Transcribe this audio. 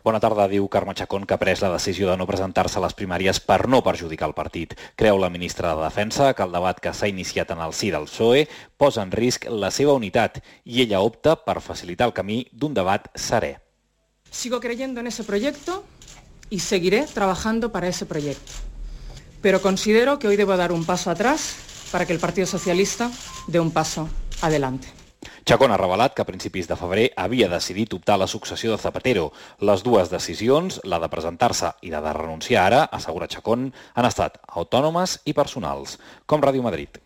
Bona tarda, diu Carme Chacón, que ha pres la decisió de no presentar-se a les primàries per no perjudicar el partit. Creu la ministra de Defensa que el debat que s'ha iniciat en el si del PSOE posa en risc la seva unitat i ella opta per facilitar el camí d'un debat serè. Sigo creyendo en ese proyecto y seguiré trabajando para ese proyecto. Pero considero que hoy debo dar un paso atrás para que el Partido Socialista dé un paso adelante. Chacón ha revelat que a principis de febrer havia decidit optar a la successió de Zapatero. Les dues decisions, la de presentar-se i la de renunciar ara, assegura Chacón, han estat autònomes i personals. Com Ràdio Madrid.